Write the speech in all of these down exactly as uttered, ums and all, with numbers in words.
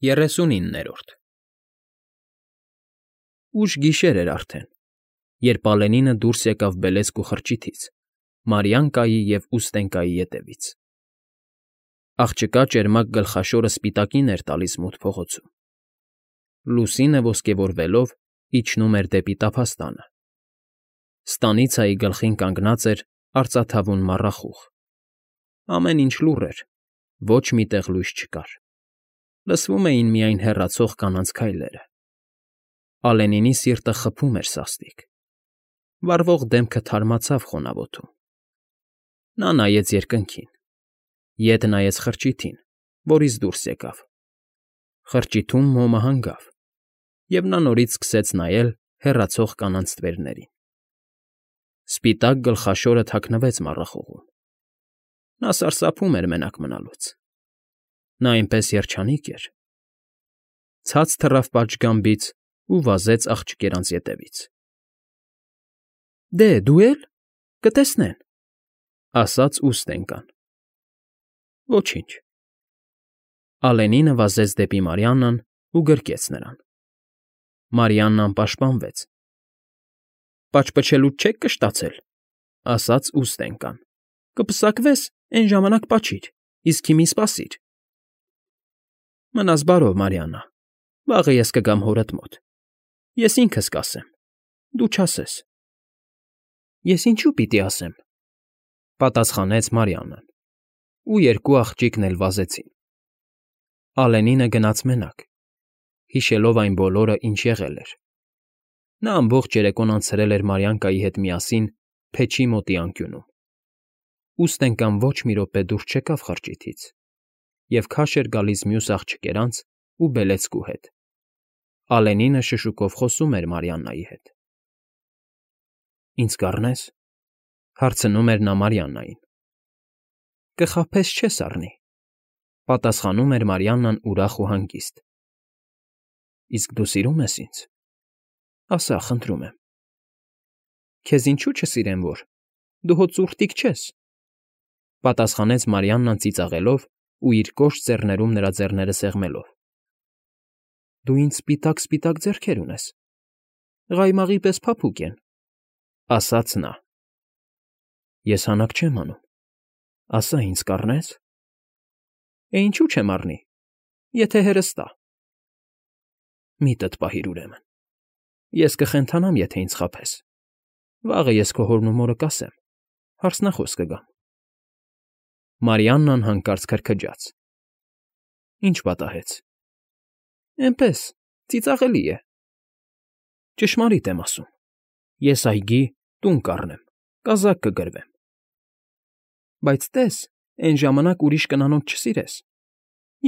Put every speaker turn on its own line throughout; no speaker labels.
Երեսունիններորդ Ուշ գիշեր էր արդեն, երբ Ալենինը դուրս եկավ բելեծք ու խրճիթից, Մարիանկայի և Ուստենկայի ետևից. աղջկա ճերմակ գլխաշորը սպիտակին էր տալիս մութ փողոցում, լուսինը ոսկեվորվելով իջնում էր դեպի տափաստանը, ստանիցայի գլխին կանգնած էր արծաթավուն մառախուղ, ամեն ինչ լուռ էր, ոչ մի տեղ լույս չկար, լսվում էին միայն հեռացող կանանց քայլերը, Ալենինի սիրտը խփում էր սաստիկ, վառվող դեմքը թարմացավ խոնավոթում, նա նայեց երկնքին, ետ նայեց խրճիթին, որից դուրս եկավ, խրճիթում մոմը հանգավ, և նա նորից սկսեց նայել հեռացող կանանց ստվերներին, սպիտակ գլխաշորը թաքնվեց մառախուղում, նա սարսափում էր մենակ մնալուց, նա այնպես երջանիկ էր, ցած թռավ պատշգամբից ու վազեց աղջկերանց ետևից։ ֊ Դե, դու է՞լ, կտեսնեն, ֊ ասաց Ուստենկան։ ֊ Ոչինչ։ Ալենինը վազեց դեպի Մարիաննան ու գրկեց նրան։ Մարիաննան պաշտպանվեց։ ֊ Պաճպճելուց չե՞ք կշտացել, ֊ ասաց Ուստենկան։ ֊ Կպսակվես, էն ժամանակ պաչիր, իսկ հիմա սպասիր։ ֊ Մնաս բարով, Մարիաննա, վաղը ես կգամ հորդ մոտ, ես ինքս կասեմ, դու չասես։ ֊ Ես ինչու՞ պիտի ասեմ, ֊ պատասխանեց Մարիաննան, ու երկու աղջիկն էլ վազեցին։ Ալենինը գնաց մենակ, հիշելով այն բոլորը, ինչ եղել էր։ Նա ամբողջ երեկոն անցրել էր Մարիանկայի հետ միասին փեչի մոտի անկյունում։ Ուստենկան ոչ մի րոպե դուրս չեկավ խրճիթից և քաշ էր գալիս մյուս աղջկերանց ու բելեծկու հետ։ Ալենինը շշուկով խոսում էր Մարիաննայի հետ։ ֊ Ինձ կառնե՞ս, ֊ հարցնում էր նա Մարիաննային։ ֊ Կխաբես չես առնի, ֊ պատասխանում էր Մարիաննան ուրախ ու հանգիստ։ ֊ Իսկ դու սիրո՞ւմ ես ինձ, ասա, խնդրում եմ։ ֊ Քեզ ինչու չսիրեմ, որ, դու հո ծուռտիկ չես, ֊ պատասխանեց Մարիաննան ծիծաղելով ու իր կոշտ ծեռներում նրա ձեռները սեղմելով։ ֊ Դու ինձ սպիտակ֊սպիտակ ձեռքեր ունես, ղայմաղի պես փափուկ են, ֊ ասաց նա։ ֊ Ես հանակ չեմ անում, ասա, ինձ կառնե՞ս։ ֊ Է, ինչու՞ չեմ առնի, եթե հերս տա։ ֊ Միտդ պահիր, ուրեմն, ես կխենթանամ, եթե ինձ խաբես, վաղը ես քո հորն ու մորը կասեմ, հարսնախոս կգամ։ Մարիաննան հանկարծ քրքջաց։ ֊ Ի՞նչ պատահեց։ ֊ Էնպես, ծիծաղելի է։ ֊ Ճշմարիտ եմ ասում, ես այգի, տուն կառնեմ, կազակ կգրվեմ։ ֊ Բայց տես, էն ժամանակ ուրիշ կնանոց չսիրես,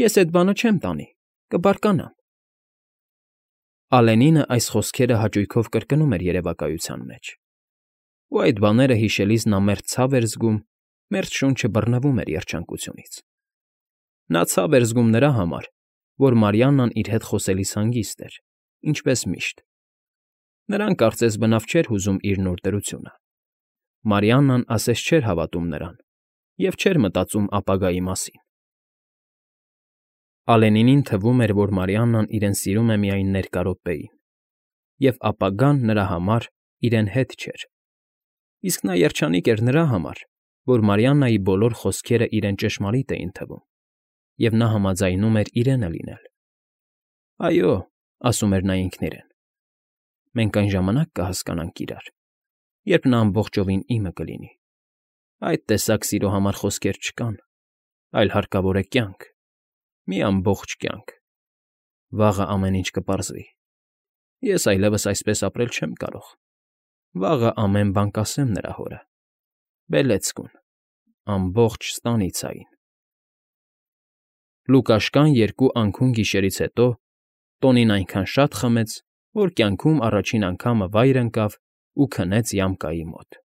ես էդ բանը չեմ տանի, կբարկանամ։ Ալենինը այս խոսքերը հաճույքով կրկնում էր երևակայության մեջ, ու այդ բաները հիշելիս նա մերթ ցավ էր զգում, մերթ շունչը բռնվում էր երջանկությունից։ Նա ցավ էր զգում նրա համար, որ Մարիաննան իր հետ խոսելիս հանգիստ էր, ինչպես միշտ։ Նրան կարծես բնավ չէր հուզում իր նոր դրությունը։ Մարիաննան ասես չէր հավատում նրան և չէր մտածում ապագայի մասին։ Ալենինին թվում էր, որ Մարիաննան իրեն սիրում է միայն ներկա րոպեին, և ապագան նրա համար իրեն հետ չէր։ Իսկ նա երջանիկ էր նրա համար, որ Մարիաննայի բոլոր խոսքերը իրեն ճշմարիտ էին թվում, և նա համաձայնում էր իրենը լինել։ Այո, ասում էր նա ինքն իրեն, մենք այն ժամանակ կհասկանանք իրար, երբ նա ամբողջովին իմը կլինի։ Այդ տեսակ սիրո համար խոսքեր չկան, այլ հարկավոր է կյանք, մի ամբողջ կյանք։ Վաղը ամեն ինչ կպարզվի։ Ես այլևս այսպես ապրել չեմ կարող։ Վաղը ամեն բան կասեմ նրա հորը, բելեծկուն, ամբողջ ստանիցային։ Լուկաշկան երկու անքուն գիշերից հետո Տոնին այնքան շատ խմեց, որ կյանքում առաջին անգամը վայր ընկավ ու քնեց յամկայի մոտ։